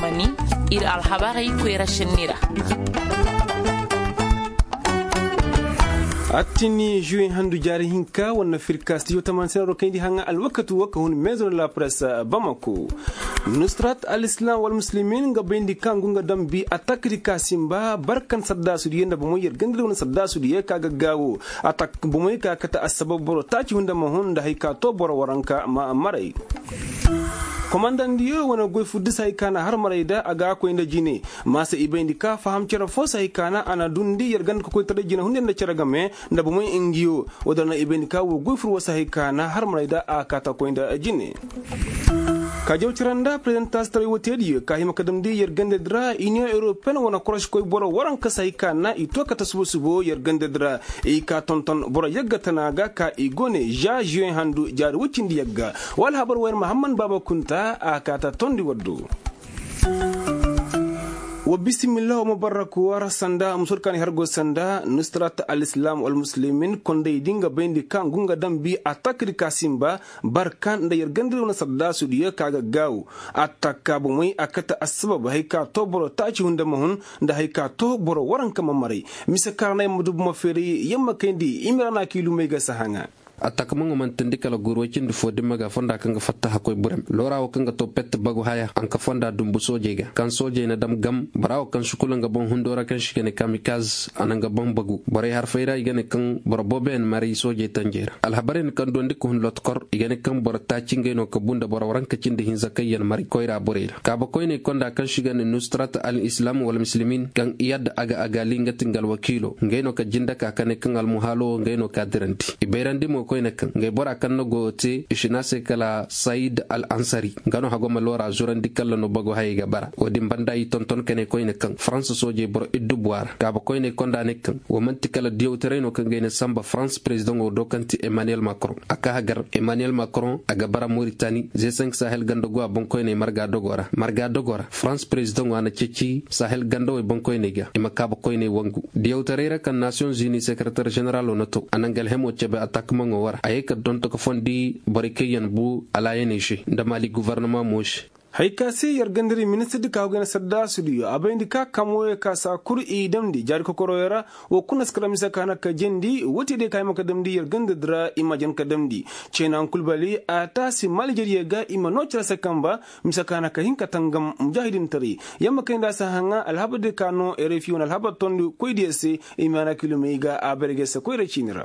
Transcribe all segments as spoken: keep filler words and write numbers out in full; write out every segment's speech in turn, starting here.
Mani, ir alhabarey koyra šenni ra. Attini juwe handu jaari hinka wane firka stijo tamaani se na ro kayndi haŋa alwakati wo ka hun meezo na la presse bamako. Nusrat alislam wal muslimin nga bayndi ka ngu nga dambi atakdi ka simba barkan saddaasudiyo nda bomoy yer gandadi wane saddaasudiyo ka ga gaawo. Atak bomoy ka kate assabab boro taaci hunda ma hun nda hari ka to boro waranka ma maray. Komandandiyo wane goy fur disa hari ka na har maray da a ga a koy nda jine. Maasa i bayndi ka faham cere fo se hari ka na a na dundi yer ganda kokoytaray jine hunday nda cere game nda bomoy ngiyo. Wo-din ra na i bayndi ka wo goy fur wo se hari ka na har maray da a kaata koy nda jine. Ka jaw cere nda prezidentaasi taray wo teediyo ka hima ka damndi yer gandadi ra iniyoŋ europeyen wane koroškoy boro waranka se hari ka na i to kate subo subo yer gandadi ra. I ka tonton boro yagga tana ga ka i go ne za ziyoŋ handu jaari woy cindi yagga. Wa alhabar wo yer mahamman baaba kunta a kaata tondi waddo. Wa bisimillah wa mubarak war sanda musur kaani har go sanda nusrat alislam wal muslimin kondaydi nga bayndi ka ngu nga dambi atakdi ka simba barka nda yer gandadi wane saddaasudiyo ka ga gaawu. Atak ka bomey a kate assabab hari ka to boro taaci hunda ma hun nda hari ka to boro waranka ma maray. Mise kaŋ ra na yamma dubu ma feeray yamma kayndi i ma ra na kiilumey ga si haŋa. Atakamaŋo mana teendi kala guuru woy cindi fo dimma ga fonda kaŋ ga fatta hakkoy burem loora wo kaŋ ga to pet bagu haya a na ka fonda dumbu soojey ga kaŋ soojey na dam gam bora wo kaŋ si kula nga boŋ hundo ra kaŋ se i ga ne kamikaz a na nga boŋ bagu borey harfey ra i ga ne kaŋ boro booboyaŋ maray soojey tanjey ra alhabarey na kaŋ duwandi ka hun lotkor i ga ne kaŋ boro taaci ngey no ka bu nda boro waranka cindi hinza kaŋ yaŋ maray koyra borey ra kaaba koyney konda kaŋ se i ga ne nustrat al islam wal muslimin kaŋ iyad aga agali nga ti nga alwakiilo ngey no ka jinde ka ka ne kaŋ almuhaalo wo ngey no ka dirandi i bayrandi mo koyne kaŋ ngey bora kaŋ na goyo te i si ne a se kala sayid al ansari nga no hago ma loora zurandi kalla no bago hayey ga bara wo-din banda i tonton ka ne koyne kaŋ faransa soojey boro iddubuwa ra kaaba koyney konda ne kaŋ wo man'ti kala diyawtaray no kaŋ ga ay na samba farans perezidaŋo do kaŋ ti emmanuel macron a ka hagar emmanuel macron a ga bara moritani ze senk sahel ganda go a boŋkoyney marga dogo ra marga dogo ra farans perezidaŋo a na ceeci sahel gandawey boŋkoyney ga i ma kaaba koyney wangu diyawtaray ra kaŋ nasiyoŋ zuni sekereter ženeralo na to a na nga alhemo cebe atakmaŋo wara a ye ka donto ka fondi borey kaŋ yaŋ bu alaayaney se nda mali guvarnama mo se. Hay ka se yer gandari ministirdi ka hogay na saddaasudiyo a bayndi ka kamoyo ka saa kul i damndi jaari kokoroyo ra. Wo kuna si kala mise ka na ka jandi wo te day ka hima ka damndi yer gandadi ra i ma jan ka damndi. Ceenaŋ kul bali a taasi malijeriyo ga i ma noo cere se kamba mise ka na ka hin ka tangam mujaahidintaray. Yer ma kay nda a si haŋa alhabardiyo ka no erefi wane alhabar tondi koydiyo se. I ma na kilomey ga a barge se koyra ciini ra.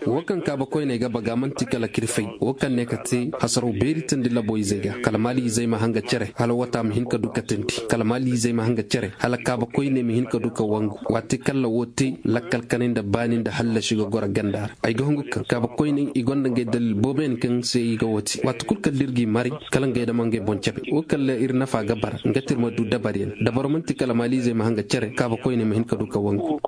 Wo kaŋ kaaba koyney ga baga man'ti kala kirfay wo kaŋ ne ka te hasaraw beeri teendi labo izey ga kala maali izey ma hanga cere hala wata ma hin ka du ka teendi kala maali izey ma hanga cere hala kaaba koyney ma hin ka du ka wangu waati kalla wo te lakkal kanay nda baani nda hallasi ga goro ganda ra ay ga hungu kaŋ kaaba koyney i gonda ngey dalil booboyaŋ kaŋ se i ga wo te waati kul kalla ir g'i maray kala ngey dama ngey boŋ cebe wo kalla ir nafa ga bara nga te ir ma du dabaryaŋ dabaro man'ti kala maali izey ma hanga cere kaaba koyney ma hin ka du ka wangu.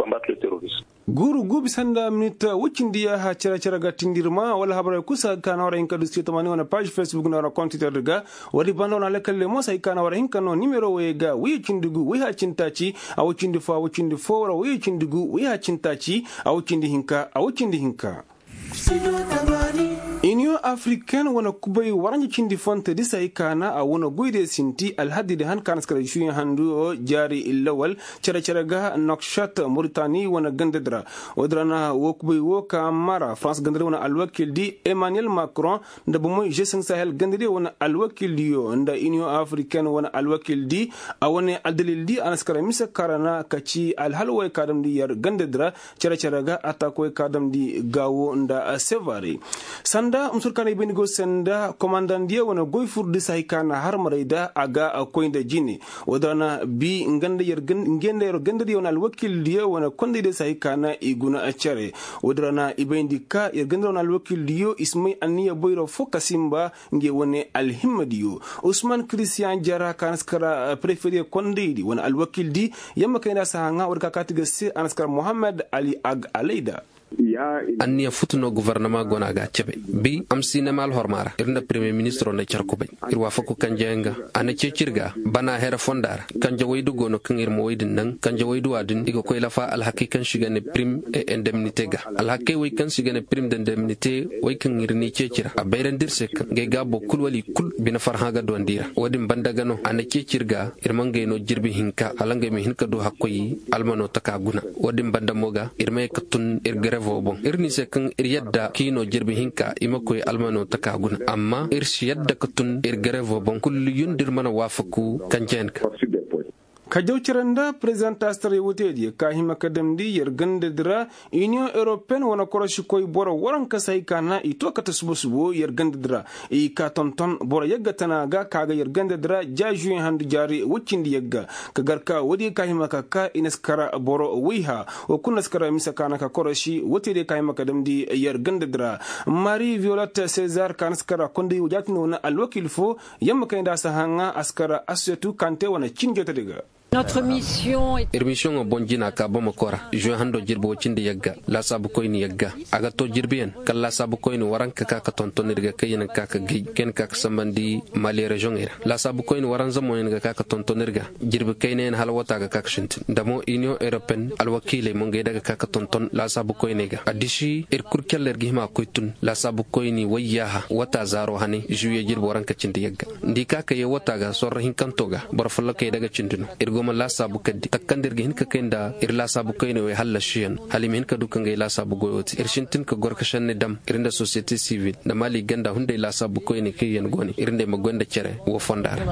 Guuru guubi sanda minit woy cindi yaaha cere cere ga tindirma wala habarey kul si hay ka na war hin ka du site tamaani wane paaž facebook nda wane kontitar ga. Woodi banda wane alakalle mo si hay ka na war hin ka no nimero woyey ga woyey cindi gu woyey ha cindi taaci. A woy cindi fo a woy cindi fo wara woyey cindi gu woyey ha cindi taaci. A woy cindi hinka a woy cindi hinka. Iniyoŋ afriken wane kubay waranja cindi fontedi si hay ka na a wane goydiyo sinti alhadidi han ka na si kara juye handu jaari lawal. Cere cere ga nokšat moritani wane gandadi ra. Woodi ra na woo kubay woo ka mara farans gandadi wane alwakildi emmanuel macron nda bomoy jesin sahel gandadiyo wane alwakildiyo nda iniyoŋ afriken wane alwakildi. A wane aldalildi a na si kara mise ka ra na ka ci alhal woy ka damndi yer gandadi ra. Cere cere ga atak woy ka damndi gaawo nda sevare. Sanda musur ka na i bayndi go se nda komandandiyo wane goy furdi si hay ka na har maray da a ga koy nda jine. Woodi ra na bi nga nda yer gandadiyo wane alwakildiyo wane kondaydiyo si hay ka na i guna cere. Woodi ra na i bayndi ka yer gandadiyo wane alwakildiyo i si may anniya boyro fo ka sinba. Ngey wane alhimmadiyo usman kiristiyan jara ka na si kara prefediyo kondaydi wane alwakildi. Yamma kay nda a si haŋa woodi ka kaati ga se a na si kara mohammed ali ag alayda. Anniya futu no gofornama go no a ga a cebe. Bi amsinema alhorma ra ir nda premye ministiro nda care kubay. Ir waafaku kanjeyaŋ ga. A na ceeci ir ga bana here fonda ra. Kanje waydu go no kaŋ ir ma waydu naŋ kanje waydu a din i ga koy lafa alhakey kaŋ se i ga ne prim e indemnite ga. Alhakey wey kaŋ se i ga ne prim de indemnite wey kaŋ ir n'i ceeci ra a bayrandi ir se kaŋ ngey gaabo kul wala i kul bine farhã ga duwandi ra wo- din banda ga no a na ceeci ir ga. Ir ma ngey no jirbi hinka hala ngey ma hin ka du hakkoy almano taka guna. Wo- din banda mo ga ir ma ye ka tun ir garevo boŋ ir n'i se kaŋ ir yadda k'i no jirbi hinka i ma koy almano taka guna amma ir si yadda ka tun ir garevo boŋ kullu yun da ir mana waafaku kanjeyaŋ ga. Ka jaw cere nda prezidantastaray wootediyo ka hima ka damndi yer gandadi ra. Iniyoŋ europeyen wane korosikoy boro waranka se hay ka na i to kate subo-subo yer gandadi ra. I ka tonton boro yagga tana ga ka ga yer gandadi ra ja žuweŋ handu jaari woy cindi yagga. Ka gar ka woodiyo ka hima ka ka i na si kara boro woyha. Wo kulu na si kara mise ka na ka korosi wootediyo ka hima ka damndi yer gandadi ra. Mari violet cezar ka na si kara konday wo jaatindi wane alwakiil fo. Yamma kay nda a si haŋa a si kara asetu kante wane cin jootediyo ga. Ir misiyoŋo boŋ jina ka bamako ra žuwe hando jirbi woy cindi yagga. Laasaabu koyni yagga a ga to jirbiyaŋ kala laasaabu koyni waranka ka ka tonton ir ga kaŋ ya na ka ka gay kaŋ ya na ka ka sambandi mali reziyoŋey ra. Laasaabu koyni waranza mo ya na ga ka ka tonton ir ga. Jirbi kaynayaŋ hala wata ga ka ka sintin nda mo iniyoŋ europeyen alwakiiley mo ngey da ga ka ka tonton laasaabu koyney ga a disi ir kul calla ir ga hima ga koy tun laasaabu koyni wayyaaha wata zaaro hane žuwiye jirbi waranka cindi yagga. Nda i ka ka yee wata ga sorro hinkanto ga boro follokey daga cindi no. Ir go ma laasaabu kaddi takka nda ir ga hin ka kay nda ir laasaabu koyney wey hallasiyaŋ hala i ma hin ka du ka ngey laasaabu goyo te ir sintin ka goro ka šenni dam ir nda sosiyete sivil nda maali ganda hunday laasaabu koyney kaŋ yaŋ go ne ir nda ay ma goy nda cere woo fonda ra.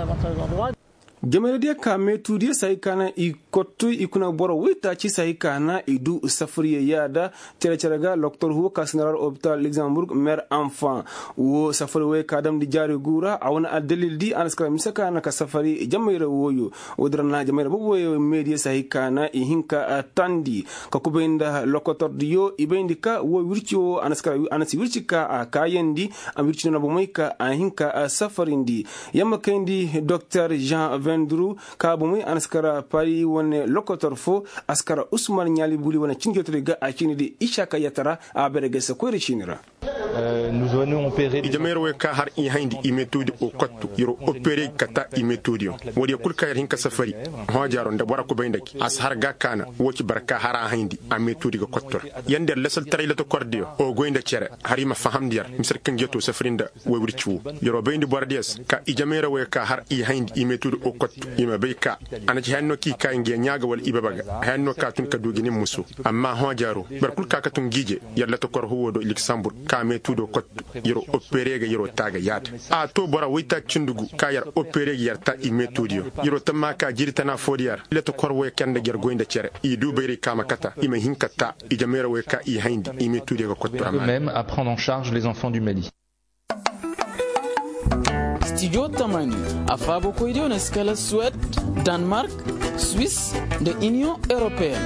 Jamayra diya ka meetu diya se hay ka na i kottu i kuna boro waytaaci se hay ka na i du safariya yaada. Cere-cere ga loktor huwo ka sinarar opital luxemburg mer enfant. Wo safari woyo ka damndi jaari gu ra a wane addalil di a na si kara mise ka na ka safari jamayra woyo. Wo- din ra na jamayra boobo woyo meediya se hay ka na i hin ka tandi ka kubay nda lokotor diyo i bayndi ka wo wirci wo a na si wirci ka a kaayandi. A ma wirci no na bomey ka a hin ka safarindi. Yamma kayndi doktor jean vendru ka bomey a na si kara pari wane lokotor fo. A si kara usman ɲaali buli wane cin jootodi ga a ciini di isaka yatta ra. A bare ga se koyra ciini ra. Ijama yer wo ka har i hayndi i meetudi o kottu yer o opere ga kata i meetudi yaŋ. Woodiyo kul ka yer hin ka safari hoojaaro nda bora kubay nda gi a si har ga kaana. Wo ci barka har a hayndi a meetudi ga kottu ra. Yer nda yer lasaltaray latakordiyo o goy nda cere har i ma fahamndi yer mise kaŋ jeeto safari nda woy wirci wo. Yer o bayndi borodiyo se ka ijama yer wo ka har i hayndi i meetudi o kottu i ma bay ka a na ci hayanno kaŋ i ka nga ɲaa ga wala i baba ga hayanno kaŋ a tun ka du ga nin muso. Amma hoojaaro boro kul ka ka tun ga ije yer latakor huwo do luksambur ka meetu do kottu. Yer o opere ga yer o taa ga yaada. A to bora waytaaci cindi gu ka yer opere ga yer taa i meetu diyo. Yer o tamma ka jiiri tana fo diyo ra latakor woy kaŋ nda ga yer goy nda cere i du bayray ka ma kata i ma hin ka taa. Ijama yer woy ka i hayndi i meetu diyo ga kottu ra maana. Stijo tamani a faabakoydiyo na si kala suwed, danmark, swis, nda iniyoŋ europeen.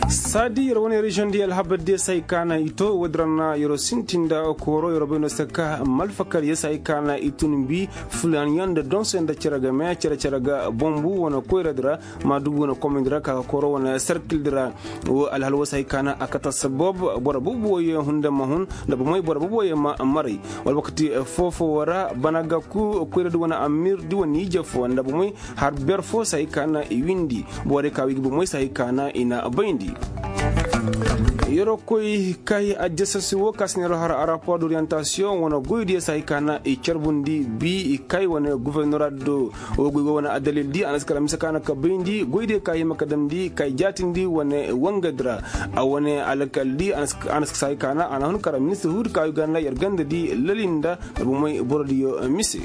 Saadi yer wane reziyoŋ diyo alhabar diyo se hay ka na i to woodin ra na yer sintin nda kooro yer bay no se ka malfakar yer se hay ka na i tun bi. Fulanyaŋ nda donse nda cere ga me cere cere ga bombu wane koyra di ra. Maadugu wane komandi ra ka ga kooro wane serkil di ra. Wo alhal wo se hay ka na a kata sabab boro boobo wo ye hunda ma hun nda bomey boro boobo wo ye ma maray. Wala wakati foo-foo wo ra bana ga ku koyra di wane amir di wane ije foo nda bomey har ber foo se hay ka na i windi. Borey ka wi ga bomey se hay ka na i na bayndi. Yer wo koy kay ajasasi wo ka si neero har a rapor d'orientasiyoŋ wane goydiyo se hay ka na i carbundi bi i kay wane gufernora do. Wo goy go wane addalil di a na si kara mise ka na ka bayndi goydiyo ka hima ka damndi kay jaatindi wane wangadi ra. A wane alkal di a na si kara mise ka na a na hun kara ministir huudi ka wi ganda yer ganda di lalinda nda bomey borodiyo mise.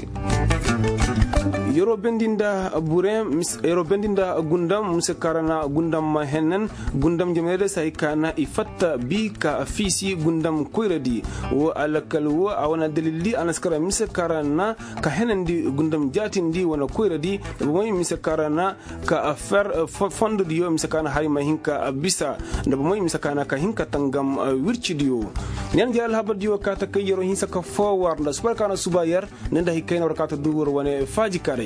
Yer wo bendi nda burem yer wo bendi nda gundam mise ka ra na gundam ma hennen. Gundam jamayradiyo se hay ka na i fatta bi ka fiisi gundam koyradi. Wo alkal wo a wane addalil di a na si kara mise ka ra na ka henandi gundam jaatindi wane koyradi. Nda bomey mise ka ra na ka fer fondodiyo mise ka na hari ma hin ka bisa. Nda bomey mise ka na ka hin ka tangam wircidiyo. Ni yaŋ jere alhabardiyo ka ta kay yer wo hinsa ka foo war nda subar ka na suba yer. Ni nda hay kayna war ka ta du war wane faaji kaaraydi.